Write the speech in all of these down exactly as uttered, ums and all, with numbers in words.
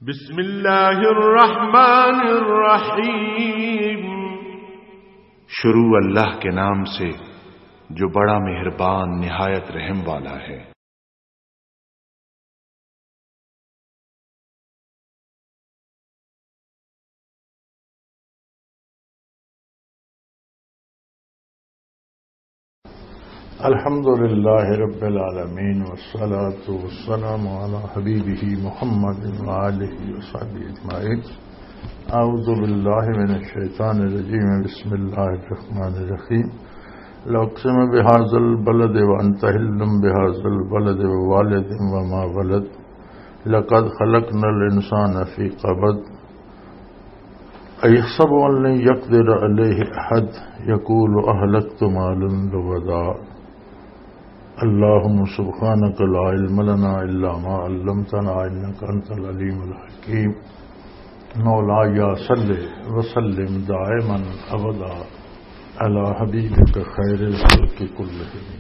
بسم اللہ الرحمن الرحیم۔ شروع اللہ کے نام سے، جو بڑا مہربان، نہایت رحم والا ہے۔ الحمد لله رب العالمين، والصلاة والسلام على حبيبه محمد وآله وصحبه أجمعين. أعوذ بالله من الشيطان الرجيم. بسم الله الرحمن الرحيم. لأقسم بهذا البلد وأنت حل بهذا البلد ووالد وما ولد. لقد خلقنا الإنسان في كبد. أيحسب أن لن يقدر عليه أحد، يقول أهلكت مالا لبدا. اللهم سبحانك لا علم لنا إلا ما علمتنا إنك أنت العليم الحكيم. مولاي صل وسلم دائما أبدا على حبيبك خير الخلق كلهم.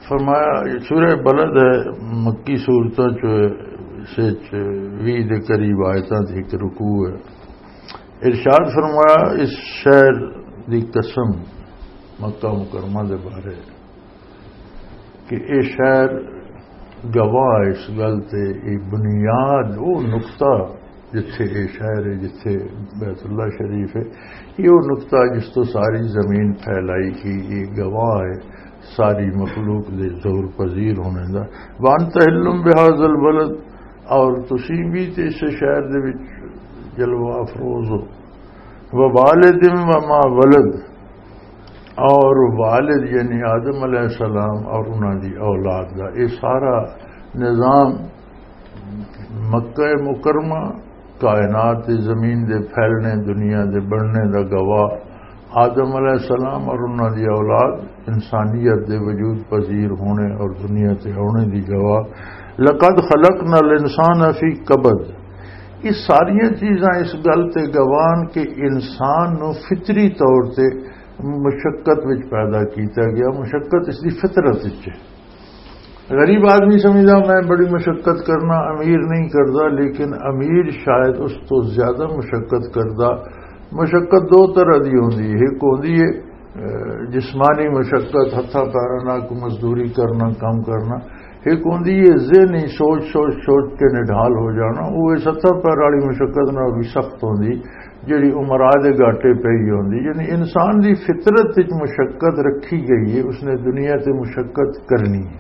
فرمایا، یہ سورہ بلد ہے، مکی سورتاں چ، سے چ ویہہ دے قریب آیتاں دی ایک رکوع ہے۔ ارشاد فرمایا، اس شہر دی قسم، مکہ مکرمہ دے بارے، کہ اے شہر گواہ ہے اس گل تے، اے بنیاد، او نقطہ جتھے اے شہر ہے، جتھے بیت اللہ شریف ہے، یہ وہ نقطہ جس تو ساری زمین پھیلائی گئی، یہ گواہ ہے، ساری مخلوق دے ظہور پذیر ہونے دا۔ وانت حلم بهذا البلد، اور تسی بھی تے اس شہر دے وچ جلوہ افروز ہو۔ ووالد وما ولد، اور والد یعنی آدم علیہ السلام اور انہاں دی اولاد دا یہ سارا نظام، مکہ مکرمہ، کائنات دی زمین دے پھیلنے، دنیا دے بننے دا گواہ آدم علیہ السلام اور انہاں دی اولاد، انسانیت دے وجود پذیر ہونے اور دنیا تے آنے دی گواہ۔ لقد خلقنا الانسان فی کبد۔ یہ ساریاں چیزاں اس گل تے گواہ ہن کہ انسان نو فطری طور تے مشقت وچ پیدا کیتا گیا۔ مشقت اس دی فطرت وچ ہے۔ غریب آدمی سمجھدا، میں بڑی مشقت کرنا، امیر نہیں کردا، لیکن امیر شاید اس تو زیادہ مشقت کردا۔ مشقت دو طرح دی ہوندی ہے۔ ایک ہوندی ہے، اہ، جسمانی مشقت، ہتھاں پیراں نال کوئی مزدوری کرنا، کم کرنا۔ ایک ہوندی ہے ذہنی سوچ، سوچ، سوچ کے نڈھال ہو جانا۔ وہ اس ہتھاں پیر والی مشقت نال بھی سخت ہوندی، جڑی عمرا دے گاٹے پئی ہوندی۔ یعنی انسان دی فطرت وچ مشقت رکھی گئی ہے، اس نے دنیا تے مشقت کرنی ہے۔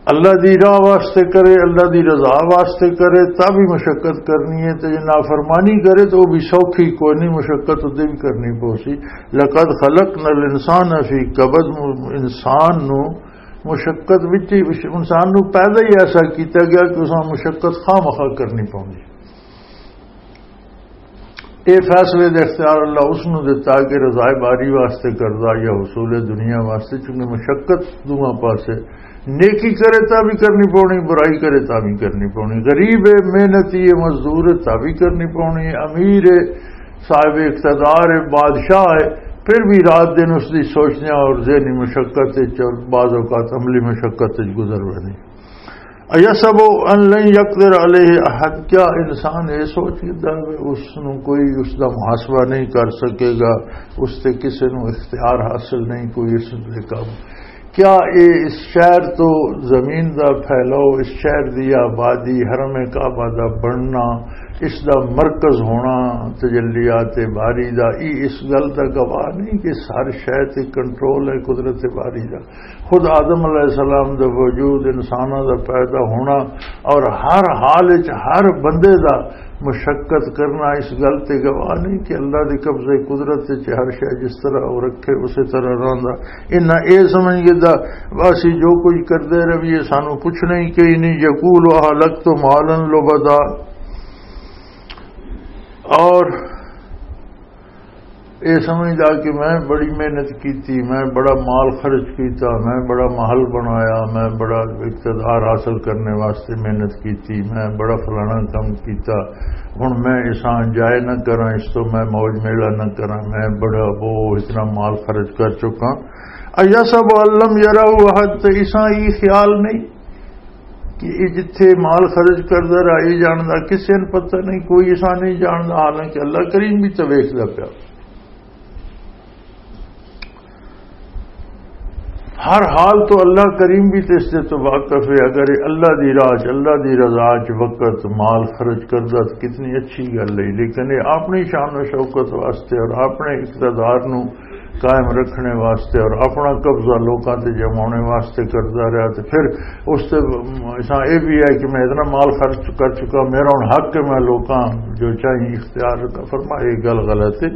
اللہ دی راہ واسطے کرے، اللہ دی رضا واسطے کرے، تب بھی مشقت کرنی ہے۔ تے جے نافرمانی کرے تو وہ بھی سوکھی کوئی نہیں، مشقت تے بھی کرنی پوسی۔ لقد خلقنا الانسان فی کبد، انسان نو مشقت وچ ہی، انسان نو پیدا ہی ایسا کیتا گیا کہ اس مشقت خواہ مخواہ کرنی پوندی۔ اے فیصلے دے اختیار اللہ اس نوں دتا کہ رضائے باری واسطے کردا یا حصول دنیا واسطے، چونکہ مشقت دوواں پاسے، نیکی کرے تاں بھی کرنی پونی، برائی کرے تاں بھی کرنی پونی، غریب ہے، محنتی ہے، مزدور ہے تاں بھی کرنی پونی، امیر ہے، صاحب اقتدار ہے، بادشاہ ہے، پھر بھی رات دن اس دی سوچنے اور ذہنی مشقت وچ اور بعض اوقات عملی مشقت وچ گزر ویندی۔ ایحسب ان لن یقدر علیہ احد، کیا انسان یہ سوچ لیتا ہے اس نو کوئی اس دا محاسبہ نہیں کر سکے گا، اس تے کسے نو اختیار حاصل نہیں کوئی اس دے قابو؟ کیا اے اس شہر تو زمین دا پھیلاؤ، اس شہر دی آبادی، حرم کعبہ دا بننا، اس دا مرکز ہونا تجلیات باری دا، ای اس گل دا گواہ نہیں کہ ہر شے تے کنٹرول ہے قدرت باری دا؟ خود آدم علیہ السلام دا وجود، انساناں دا پیدا ہونا اور ہر حال وچ ہر بندے دا مشقت کرنا اس گل تے گواہ نہیں کہ اللہ دے قبضے قدرت وچ ہر شے جس طرح وہ رکھے اسی طرح رہندا۔ انہاں اے سمجھ گئے دا اسی جو کچھ کردے رہیے، سانو پوچھنا ہی کوئی نہیں۔ یقول اہلکت مالا لبدا، اور اے سمجھدا کہ میں بڑی محنت کیتی، میں بڑا مال خرچ کیتا، میں بڑا محل بنایا، میں بڑا اقتدار حاصل کرنے واسطے محنت کیتی، میں بڑا فلانا کام کیتا، ہن میں اساں انجوائے نہ کراں، اس تو میں موج میلہ نہ کراں، میں بڑا وہ اتنا مال خرچ کر چکا۔ ایحسب ان لم یرہ احد، تے اساں ای خیال نہیں کہ یہ جتھے مال خرچ کردا رہا، یہ جاندا کسے نوں پتہ نہیں، کوئی ایسا نہیں جاندا، حالانکہ اللہ کریم بھی تو ویکھدا پیا۔ ہر حال تو اللہ کریم بھی تے اس دے تو واقف ہے۔ اگر یہ اللہ دی راہ چ، اللہ دی رضا چ وقت، مال خرچ کردا تو کتنی اچھی گل ہے، لیکن یہ اپنی شان و شوکت واسطے اور اپنے اقتدار نو قائم رکھنے واسطے اور اپنا قبضہ لوکاں تے جمانے واسطے کردا رہا، تے پھر اس تے اساں یہ بھی ہے کہ میں اتنا مال خرچ کر چکا، میرا ہن حق ہے میں لوکاں جو چاہیے اختیار کا فرما، یہ گل غلط ہے۔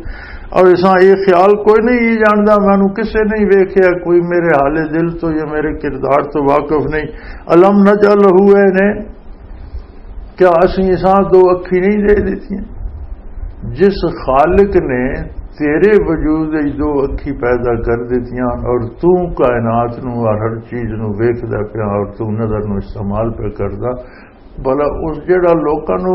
اور اساں یہ خیال کوئی نہیں، یہ جاندا مینوں کسے نہیں ویکھیا، کوئی میرے حال دل تو یا میرے کردار تو واقف نہیں۔ الم نجعل لہ عینین، کیا اسی اساں دو اکھی نہیں دے دتیاں؟ جس خالق نے تیرے وجود وچ دو اکھی پیدا کر دتیاں اور تو کائنات نو اور ہر چیز نو ویکھدا پیا اور تو نظر نو استعمال پہ کردا، بھلا اس جڑا لوکاں نو،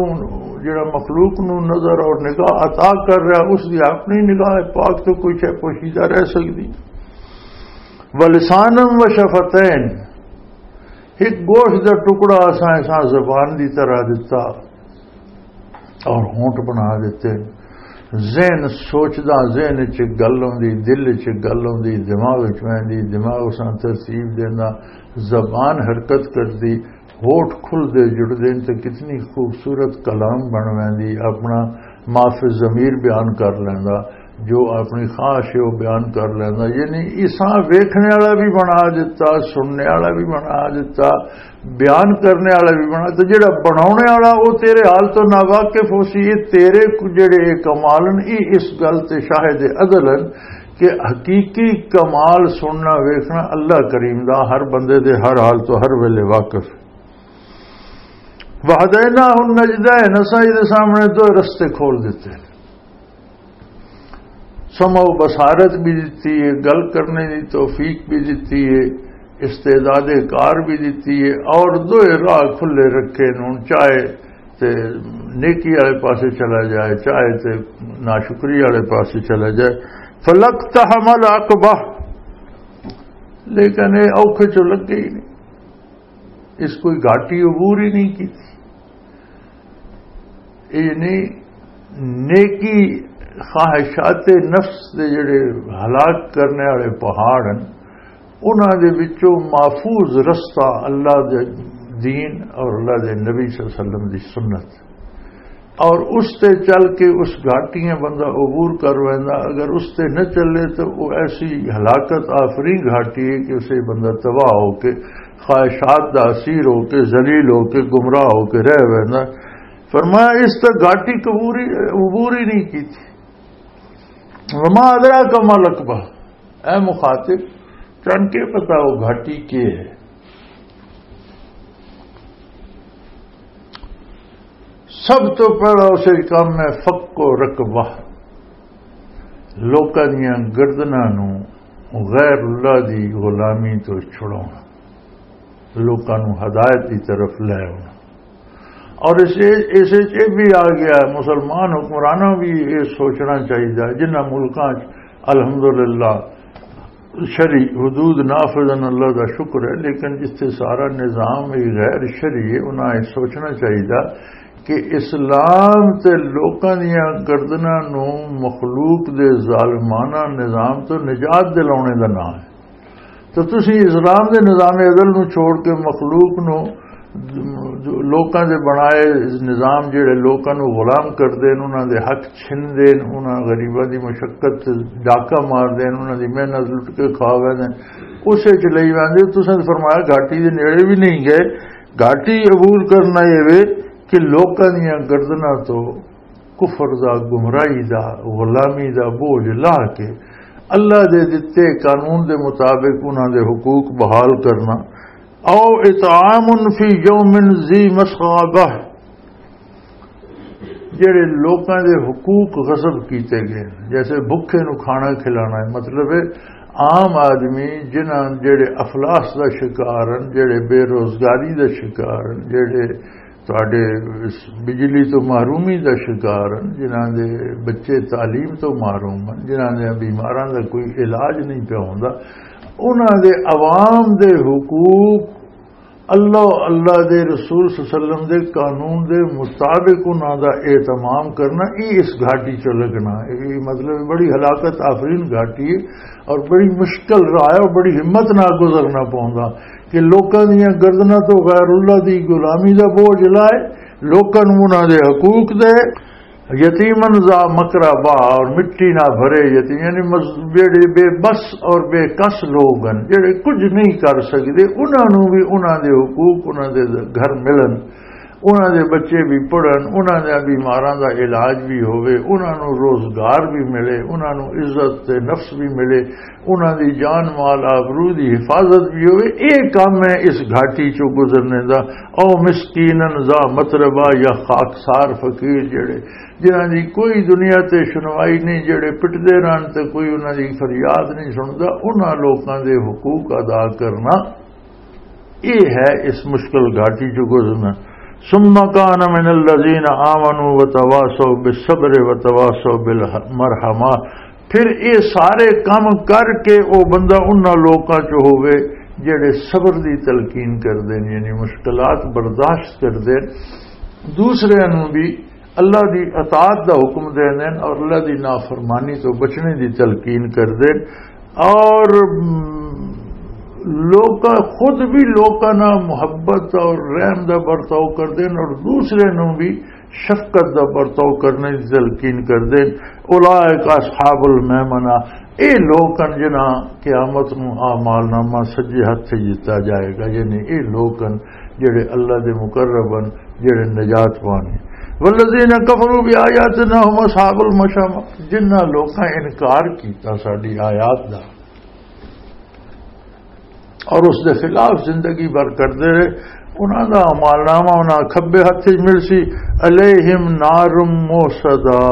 جڑا مخلوق نو نظر اور نگاہ عطا کر رہا، اس دی اپنی نگاہ پاک تو کوئی شے پوشیدہ رہ سکدی؟ ولسانا وشفتین، ایک گوشت دا ٹکڑا اساں، اساں زبان دی طرح دتا اور ہونٹ بنا دتے۔ ذہن سوچدا، ذہن چ گل ہوندی، دل چ گل ہوندی، دماغ چ ویندی، دماغ اساں ترتیب دیندا، زبان حرکت کردی، ہوٹ کھل دے جڑ دین تے کتنی خوبصورت کلام بن ویندی، اپنا ما فی الضمیر بیان کر لیندا، جو اپنی خواہش ہے وہ بیان کر لیندا۔ یعنی اساں ویکھنے والا بھی بنا دتا، سننے والا بھی بنا دتا، بیان کرنے والا بھی بنا، تو جڑا بناونے والا وہ تیرے حال تو ناواقف ہو سی۔ یہ تیرے کو جڑے یہ کمال نے، یہ اس گل تے شاہد ازل ہیں کہ حقیقی کمال سننا ویکھنا اللہ کریم دا ہر بندے دے ہر حال تو ہر ویلے واقف۔ وہدیناہ النجدین، اساں یہ سامنے دو رستے کھول دیتے۔ سمع و بصارت بھی دتی ہے، گل کرنے دی توفیق بھی دتی ہے، استعداد کار بھی دتی ہے، اور دوئے راہ کھلے رکھے نوں، چاہے تے نیکی والے پاسے چلا جائے، چاہے تے ناشکری والے پاسے چلا جائے۔ فلقتحم العقبہ، لیکن یہ اوکھے چوں لگے ہی نہیں، اس کوئی گھاٹی عبور ہی نہیں کی۔ یعنی نیکی خواہشات نفس دے جڑے ہلاک کرنے والے پہاڑ ہیں، انہاں دے وچوں محفوظ رستہ اللہ دے دین اور اللہ دے نبی صلی اللہ علیہ وسلم دی سنت، اور اس تے چل کے اس گھاٹیاں بندہ عبور کر ویندا۔ اگر اس تے نہ چلے تو وہ ایسی ہلاکت آفرین گھاٹی ہے کہ اسے بندہ تباہ ہو کے، خواہشات دا اسیر ہو کے، ذلیل ہو کے، گمراہ ہو کے رہ ویندا۔ فرمایا، اس تے گھاٹی عبور ہی، عبور ہی نہیں کی تھی۔ وما ادراک ما العقبہ، اے مخاطب، تن کے پتا وہ گھاٹی کے ہے؟ سب تو پہلا اسے کام ہے فک و رقبہ، لوکاں دیاں گردناں نوں غیر اللہ دی غلامی تو چھڑاؤنا، لوکاں نوں ہدایت دی طرف لے آؤنا۔ اور اس، اس وچ یہ بھی آ گیا، مسلمان حکمرانوں بھی یہ سوچنا چاہیے، جنہاں ملکاں وچ الحمدللہ شرعی حدود نافذ ہیں، اللہ دا شکر ہے، لیکن جتھے سارا نظام ہی غیر شرعی ہے، انہاں یہ سوچنا چاہیے کہ اسلام تے لوکاں دیاں گردناں نوں مخلوق دے ظالمانہ نظام تو نجات دلاونے دا نام ہے۔ تو تسی اسلام دے نظام عدل نوں چھوڑ کے مخلوق نوں، لوکاں دے بنائے نظام جڑے لوکاں نوں غلام کر دین، انہاں دے حق چھن دین، انہاں غریباں دی مشقت تے ڈاکہ مار دین، انہاں دی محنت لٹ کے کھا ویندے، اسے چ لئی ویندے۔ تساں تے فرمایا گھاٹی دے نیڑے بھی نہیں گئے۔ گھاٹی عبور کرنا یہ وے کہ لوکاں دیاں گردناں تو کفر دا، گمراہی دا، غلامی دا بوجھ لا کے اللہ دے دتے قانون دے مطابق انہاں دے حقوق بحال کرنا۔ او اطعام فی یوم ذی مسغبہ، جڑے لوکاں دے حقوق غصب کیتے گئے، جیسے بھکھے نو کھانا کھلانا ہے، مطلب ہے عام آدمی جنہاں جڑے افلاس دا شکار ہیں، جڑے بے روزگاری دا شکار ہیں، جڑے تہاڈے اس بجلی تو محرومی دا شکار ہیں، جنہاں دے بچے تعلیم تو محروم ہیں، جنہاں دے بیماراں دا کوئی علاج نہیں پیا ہوندا، انہاں دے عوام دے حقوق اللہ، اللہ دے رسول صلی اللہ علیہ وسلم دے قانون دے مطابق انہاں دا اہتمام کرنا، یہ اس گھاٹی چ لگنا۔ یہ مطلب بڑی ہلاکت آفرین گھاٹی ہے اور بڑی مشکل راہ ہے اور بڑی ہمت نال گزرنا پوندا کہ لوکاں دیاں گردناں تو غیر اللہ دی غلامی دا بوجھ لائے، لوکاں نوں انہاں دے حقوق دے، یتیمن ذا مقربہ، اور مٹی نہ بھرے یتیم، یعنی مز-، جڑے بے بس اور بے کس لوگ ہیں، جڑے کچھ نہیں کر سکتے، انہاں نوں بھی انہاں دے حقوق، انہاں دے گھر ملن، انہاں دے بچے بھی پڑھن، انہاں دے بیماراں دا علاج بھی ہوئے، انہاں نوں روزگار بھی ملے، انہاں نوں عزت تے نفس بھی ملے، انہاں دی جان مال آبرو دی حفاظت بھی ہوئے۔ اے کام ہے اس گھاٹی چوں گزرنے دا۔ او مسکینن ذا متربہ، یا خاکسار فقیر جڑے، جنہاں دی کوئی دنیا تے شنوائی نہیں، جڑے پٹدے رہن تے کوئی انہاں دی فریاد نہیں سندا، انہاں لوکاں دے حقوق ادا کرنا، اے ہے اس مشکل گھاٹی چوں گزرنا۔ ثم کان من الذین آمنوا وتواصوا بالصبر وتواصوا بالمرحمہ۔ پھر اے سارے کم کر کے او بندہ انہاں لوکاں چ ہووے جڑے صبر دی تلقین کردے نے، یعنی مشکلات برداشت کردے، دوسرے نوں بھی اللہ دی اطاعت دا حکم دیندے نے اور اللہ دی نافرمانی تو بچنے دی تلقین کردے نے۔ اور، م، لوکاں، خود بھی لوکاں نال محبت اور رحم دا برتاؤ کردے نے اور دوسرے نوں بھی شفقت دا برتاؤ کرنے دی تلقین کردے نے۔ اولئک اصحاب المیمنہ، اے لوک ہن جنہاں قیامت نوں اعمال نامہ سجے ہتھ تے دتا جائے گا، یعنی اے لوک ہن جڑے اللہ دے مقرب ہن، جڑے نجات پانے۔ والذین کفروا بآیاتنا هم اصحاب المشأمہ، جنہاں لوکاں انکار کیتا ساڈی آیات دا اور اس دے خلاف زندگی بھر کردے رہے، انہاں دا اعمال نامہ انہاں کھبے ہتھ وچ ملسی، علیہم نار موصدہ،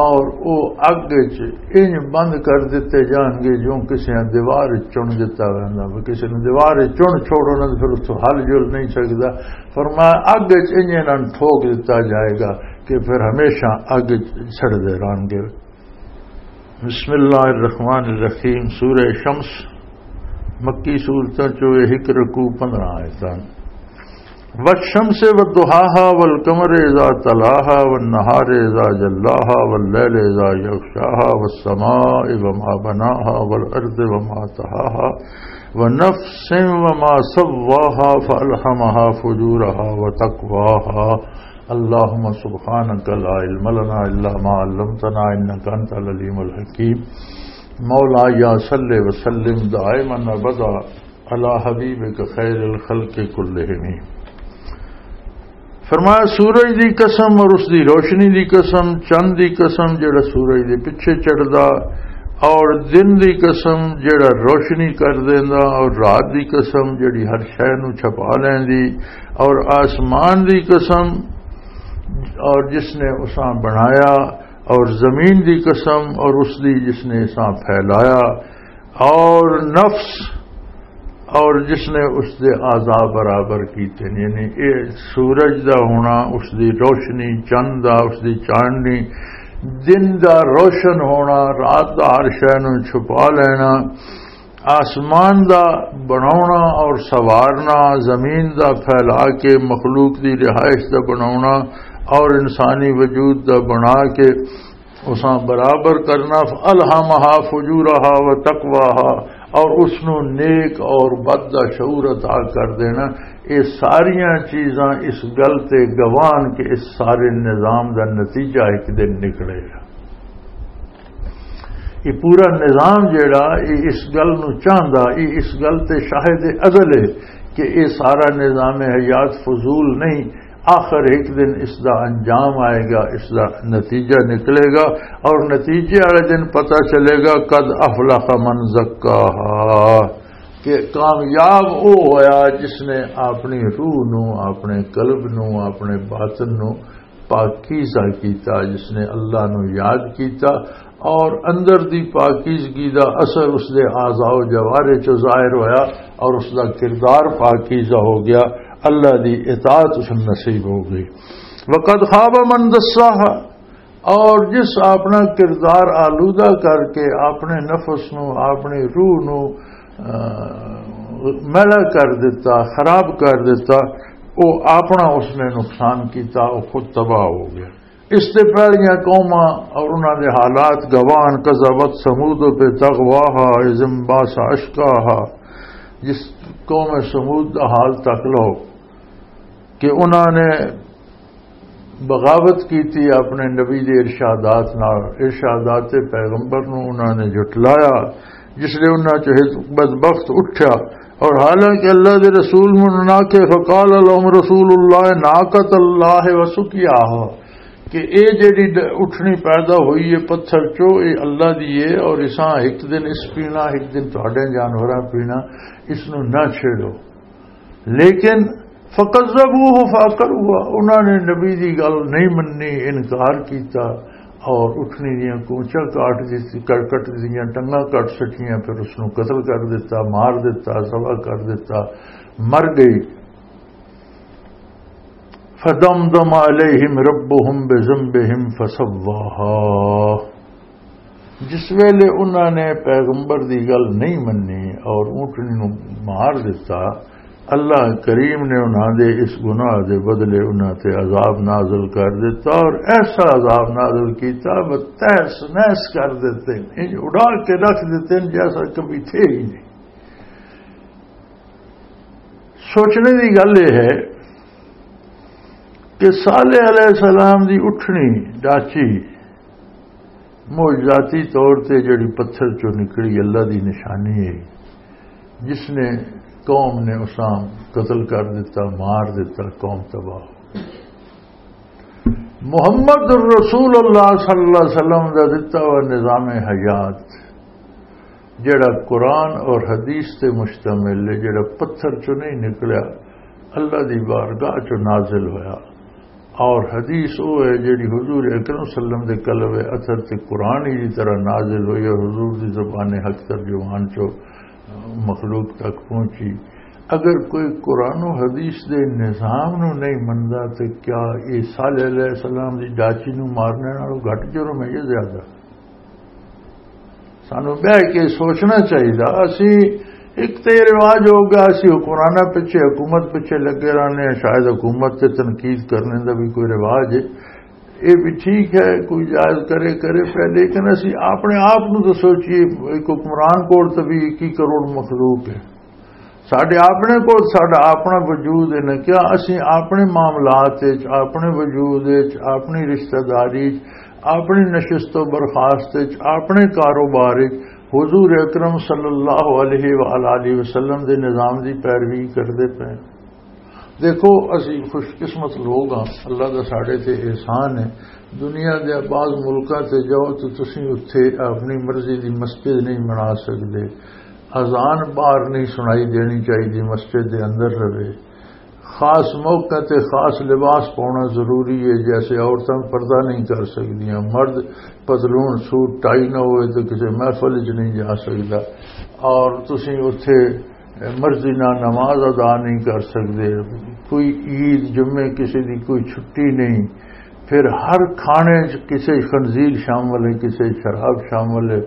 اور او اگ وچ انج بند کر دتے جان گے جوں کسے دیوار وچ چن دتا ویندا، کسے نوں دیوار وچ چن چھوڑو نا، پھر اتھوں ہل جل نہیں سکدا۔ فرمایا، اگ وچ انج انہاں نوں ٹھوک دتا جائے گا کہ پھر ہمیشہ اگ وچ سڑدے رہن گے۔ بسم اللہ الرحمن الرحیم۔ سورہ شمس، مکی سورتاں چوں ایک رکوع، پندرہ آیتاں۔ والشمس وضحاها والقمر اذا تلاها والنهار اذا جلاها والليل اذا يغشاها والسماء وما بناها والارض وما طحاها ونفس وما سواها فالهمها فجورها وتقواها۔ اللهم سبحانك لا علم لنا إلا ما علمتنا إنك أنت العليم الحكيم۔ مولاي صل وسلم دائما أبدا على حبيبك خير الخلق كلهم۔ فرمایا، سورج دی قسم اور اس دی روشنی دی قسم، چند دی قسم جڑا سورج دے پیچھے چڑھدا، اور دن دی قسم جڑا روشنی کر دیندا، اور رات دی قسم جڑی ہر شے نوں چھپا لیندی، اور آسمان دی قسم، اور جس نے اساں بنایا، اور زمین دی قسم، اور اس دی جس نے اساں پھیلایا، اور نفس، اور جس نے اس دے اعضاء برابر کیتے نے، یعنی اے سورج دا ہونا، اس دی روشنی، چند دا، اس دی چاندنی، دن دا روشن ہونا، رات دا ہر شے نوں چھپا لینا، آسمان دا بناونا اور سوارنا، زمین دا پھیلا کے مخلوق دی رہائش دا بناونا، اور انسانی وجود دا بنا کے اساں برابر کرنا، فَأَلْهَمَهَا فُجُورَهَا وَتَقْوَاهَا، اور اس نوں نیک اور بد دا شعور عطا کر دینا۔ یہ ساریاں چیزاں اس گل تے گواہ ہن کہ اس سارے نظام دا نتیجہ ایک دن نکلے گا۔ یہ پورا نظام جیڑا، یہ اس گل نوں چاہندا، یہ اس گل تے شاہد ازل ہے کہ یہ سارا نظام حیات فضول نہیں، آخر ایک دن اس دا انجام آئے گا، اس دا نتیجہ نکلے گا، اور نتیجے والے دن پتہ چلے گا، قد افلح من زکاہا، کہ کامیاب وہ ہویا جس نے اپنی روح نو، اپنے قلب نو، اپنے باطن نو پاکیزہ کیتا، جس نے اللہ نو یاد کیتا، اور اندر دی پاکیزگی دا اثر اس دے اعضاء و جوارح چ ظاہر ہویا، اور اس دا کردار پاکیزہ ہو گیا، اللہ دی اطاعت اس نوں نصیب ہو گئی۔ وقد خاب من دساہا، اور جس اپنا کردار آلودہ کر کے اپنے نفس نو، اپنی روح نو، آ، میلا کر دیتا، خراب کر دیتا، وہ اپنا اس نے نقصان کیتا، وہ خود تباہ ہو گیا۔ اس سے پہلیاں قوماں اور انہاں دے حالات گواہ، کذبت ثمود پہ تغواہا اذ انبعث اشقاہا، جس قوم ثمود دا حال تک لو کہ انہاں نے بغاوت کیتی اپنے نبی دے ارشادات نال، ارشادات پیغمبر نو انہاں نے جھٹلایا، جس لے انہاں چ ایک بدبخت اٹھیا۔ اور حالانکہ اللہ دے رسول مننا کے فقال لهم رسول اللہ ناقۃ اللہ وسقیاہا، کہ اے جڑی ڈ-، اٹھنی پیدا ہوئی ہے پتھر چو، اے اللہ دی ہے، اور اساں ایک دن اس پینا، ایک دن تہاڈے جانوراں پینا، اس نو نہ چھیڑو۔ لیکن فکذبوہ فعقروہا، انہاں نے نبی دی گل نہیں مننی، انکار کیتا اور اٹھنی دیاں کونچاں کاٹ دتی، کٹ کٹ دیاں ٹنگاں کٹ سٹیاں، پھر اس نو قتل کر دتا، مار دتا، ذبح کر دتا، مر گئی۔ فدمدم علیہم ربہم بذنبہم فسواہا۔ جس ویلے انہاں نے پیغمبر دی گل نہیں منی اور اونٹنی نو مار دتا، اللہ کریم نے انہاں دے اس گناہ دے بدلے انہاں تے عذاب نازل کر دتا، اور ایسا عذاب نازل کیتا، وہ تہس نہس کر دیتے، انج اڑا کے رکھ دیتے جیسا کبھی تھے ہی نہیں۔ سوچنے دی گل یہ ہے کہ صالح علیہ السلام دی اٹھنی ڈاچی معجزاتی طور تے جڑی پتھر چوں نکلی، اللہ دی نشانی ہے، جس نے قوم نے اساں قتل کر دیتا، مار دیتا، قوم تباہ ہو گئی۔ محمد الرسول اللہ صلی اللہ علیہ وسلم دا دتا ہوا نظام حیات، جڑا قرآن اور حدیث تے مشتمل ہے، جڑا پتھر چوں نہیں نکلیا، اللہ دی بارگاہ چوں نازل ہویا۔ اور حدیث وہ ہے جڑی حضور اکرم صلی اللہ علیہ وسلم دے قلب اثر تے قرآن ہی دی طرح نازل ہوئی اور حضور دی زبان حق ترجمان چو مخلوق تک پہنچی۔ اگر کوئی قرآن و حدیث دے نظام نو نہیں مندا، تے کیا یہ صالح علیہ السلام دی ڈاچی نو مارنے نالوں گھٹ جرم ہے یا زیادہ؟ سانو بہ کے سوچنا چاہیے۔ اسی ایک تے رواج ہو گیا، اسی حکمرانہ پیچھے، حکومت پیچھے لگے رہنے ہیں، شاید حکومت تے تنقید کرنے دا بھی کوئی رواج ہے، یہ بھی ٹھیک ہے، کوئی جائز کرے کرے پہ، لیکن اسی اپنے آپ نو تو سوچیے، ایک حکمران کول تو بھی اکی کروڑ مخلوق ہے، ساڈے اپنے کول ساڈا اپنا وجود ہے نا، کیا اسی اپنے معاملات وچ، اپنے وجود وچ، اپنی رشتہ داری وچ، اپنی نشست و برخاست وچ، اپنے کاروبار وچ حضور اکرم صلی اللہ علیہ وآلہ وسلم دے نظام دی پیروی کردے پے؟ دیکھو، اسی خوش قسمت لوگ ہاں، اللہ دا ساڈے تے احسان ہے۔ دنیا دے بعض ملکاں تے جاؤ تے تسی اتھے اپنی مرضی دی مسجد نہیں بنا سکدے، اذان باہر نہیں سنائی دینی چاہیے، مسجد دے اندر رہے۔ خاص موقع تے خاص لباس پاؤنا ضروری ہے، جیسے عورتاں پردہ نہیں کر سکدیاں، مرد پتلون سوٹ ٹائی نہ ہوئے تو کسی محفل وچ نہیں جا سکدا۔ اور تسی اتھے مرضی نال نماز ادا نہیں کر سکدے، کوئی عید جمعے کسی دی کوئی چھٹی نہیں، پھر ہر کھانے چ کسی خنزیر شامل ہے، کسی شراب شامل ہے،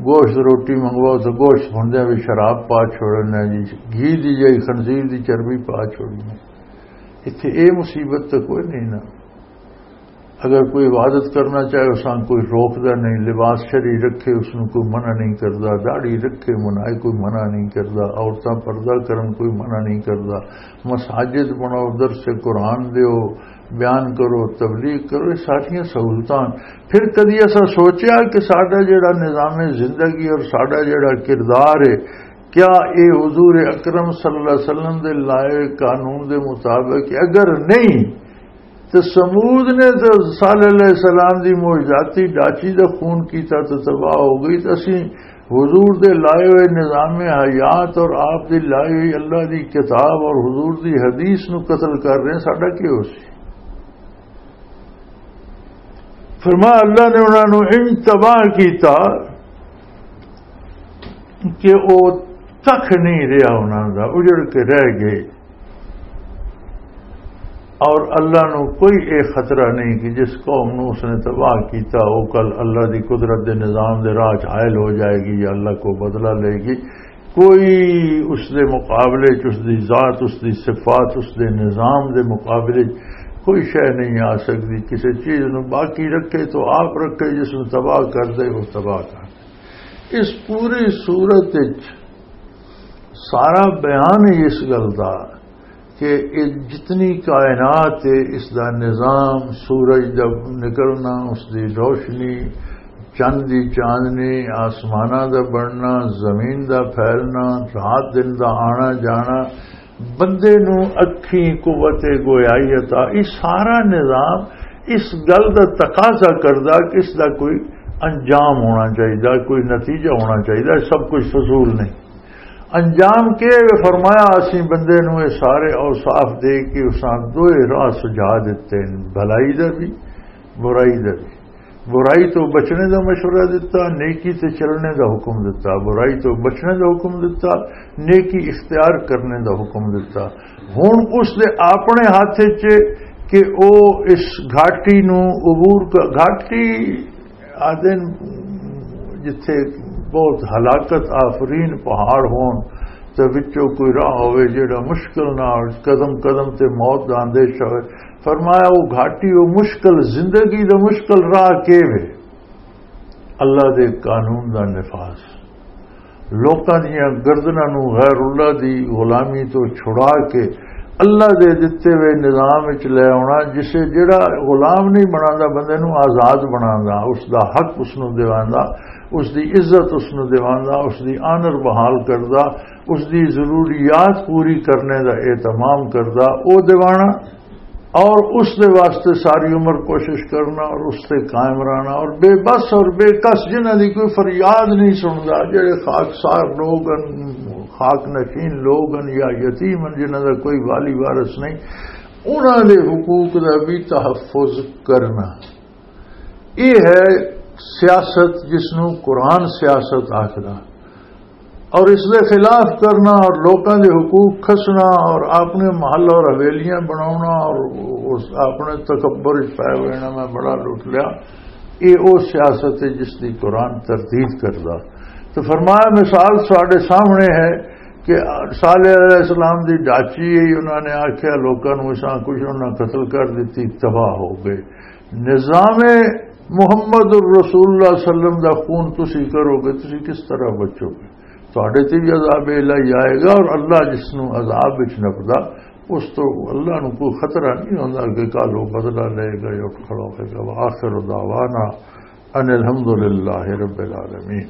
گوشت روٹی منگواؤ تو گوشت بھندے بھی شراب پا چھوڑنا جی، گھی دی جائی خنزیر دی چربی پا چھوڑنی۔ اتھے اے مصیبت تو کوئی نہیں نا۔ اگر کوئی عبادت کرنا چاہے، اساں کوئی روکدا نہیں، لباس شری رکھے، اس نوں کوئی منع نہیں کردا، داڑھی رکھے، منائے کوئی منع نہیں کردا، عورتاں پردہ کرن کوئی منع نہیں کردا، مساجد بناؤ، درس قرآن دیو، بیان کرو، تبلیغ کرو، یہ ساریاں سہولتاں۔ پھر کدی ایسا سوچیا کہ ساڈا جڑا نظام زندگی اور ساڈا جڑا کردار ہے، کیا اے حضور اکرم صلی اللہ علیہ وسلم دے لائے قانون دے مطابق اگر نہیں، تے ثمود نے تے صالح علیہ السلام دی معجزاتی ڈاچی دا خون کیتا تے تباہ ہو گئی، تے اسی حضور دے لائے ہوئے نظام حیات اور آپ دی لائی ہوئی اللہ دی کتاب اور حضور دی حدیث نو قتل کر رہے ہیں، ساڈا کی ہو سی؟ فرمایا، اللہ نے انہاں نو انج تباہ کیتا کہ او تک نہیں رہیا انہاں دا، اجڑ کے رہ گئے۔ اور اللہ نو کوئی اے خطرہ نہیں کہ جس قوم نو اس نے تباہ کیتا، او کل اللہ دی قدرت دے نظام دے راہ چ حائل ہو جائے گی یا اللہ کو بدلہ لے گی۔ کوئی اس دے مقابلے چ، اس دی ذات، اس دی صفات، اس دے نظام دے مقابلے چ کوئی شے نہیں آ سکتی۔ کسی چیز نو باقی رکھے تو آپ رکھے، جس نو تباہ کر دے، وہ تباہ کر دے۔ اس پوری صورت وچ سارا بیان ہی اس گل دا کہ یہ جتنی کائنات ہے، اس دا نظام، سورج دا نکلنا، اس دی روشنی، چند دی چاندنی، آسماناں دا بننا، زمین دا پھیلنا، رات دن دا آنا جانا، بندے نو اکھیں قوت گویائی عطا، یہ سارا نظام اس گل دا تقاضا کردا کہ اس دا کوئی انجام ہونا چاہیے، کوئی نتیجہ ہونا چاہیے، سب کچھ فضول نہیں۔ انجام کی ہے؟ فرمایا، اسی بندے نو یہ سارے اوصاف دے کے اساں دوئے راہ سجھا دتے ہیں، بھلائی دا بھی، برائی دا بھی۔ برائی تو بچنے دا مشورہ دتا، نیکی تے چلنے دا حکم دتا، برائی تو بچنے دا حکم دتا، نیکی اختیار کرنے دا حکم دتا۔ ہن اس دے اپنے ہاتھ وچ کہ او اس گھاٹی نو عبور کر، گھاٹی آدن جتھے بہت ہلاکت آفرین پہاڑ ہون تے وچوں کوئی راہ ہوئے جیڑا مشکل نال قدم قدم تے موت دا اندیشہ ہوئے۔ فرمایا، وہ گھاٹی، وہ مشکل زندگی دا مشکل راہ کے وے؟ اللہ دے قانون دا نفاذ، لوکاں دیاں گردناں نوں غیر اللہ دی غلامی تو چھڑا کے اللہ دے دتے ہوئے نظام وچ لے آونا، جسے جڑا غلام نہیں بناندا، بندے نوں آزاد بناندا، اس دا حق اس نوں دیواندا، اس دی عزت اس نوں دیواندا، اس دی آنر بحال کردا، اس دی ضروریات پوری کرنے دا اہتمام کردا، او دیوانا۔ اور اس دے واسطے ساری عمر کوشش کرنا اور اس تے قائم رہنا، اور بے بس اور بے کس، جنہاں دی کوئی فریاد نہیں سندا، جڑے خاک سار لوگ ہن، خاک نشین لوگ ہن یا یتیم ہن، جنہاں دا کوئی والی وارث نہیں، انہاں دے حقوق دا بھی تحفظ کرنا۔ یہ ہے سیاست، جس نوں قرآن سیاست آکھدا۔ اور اس دے خلاف کرنا اور لوکاں دے حقوق کھسنا اور اپنے محل اور حویلیاں بناونا اور اس اپنے تکبر وچ پے ہوئے نا، میں بڑا لٹ لیا، یہ وہ سیاست ہے جس دی قرآن تردید کردا۔ تو فرمایا، مثال ساڈے سامنے ہے کہ صالح علیہ السلام دی ڈاچی ہے، انہوں نے آکھیا لوکاں نوں اساں کچھ، انہاں قتل کر دتی، تباہ ہو گئے۔ نظام محمد الرسول اللہ صلی اللہ علیہ وسلم دا خون تسی کرو گے، تسی کس طرح بچو گے؟ تہاڈے تے بھی عذاب الہی آئے گا، اور اللہ جس نوں عذاب وچ نپدا، اس تو اللہ نوں کوئی خطرہ نہیں ہوندا کہ کل وہ بدلہ لے گا یا اٹھ کھڑا ہوئے گا۔ وآخر دعوانا ان الحمدللہ رب العالمین۔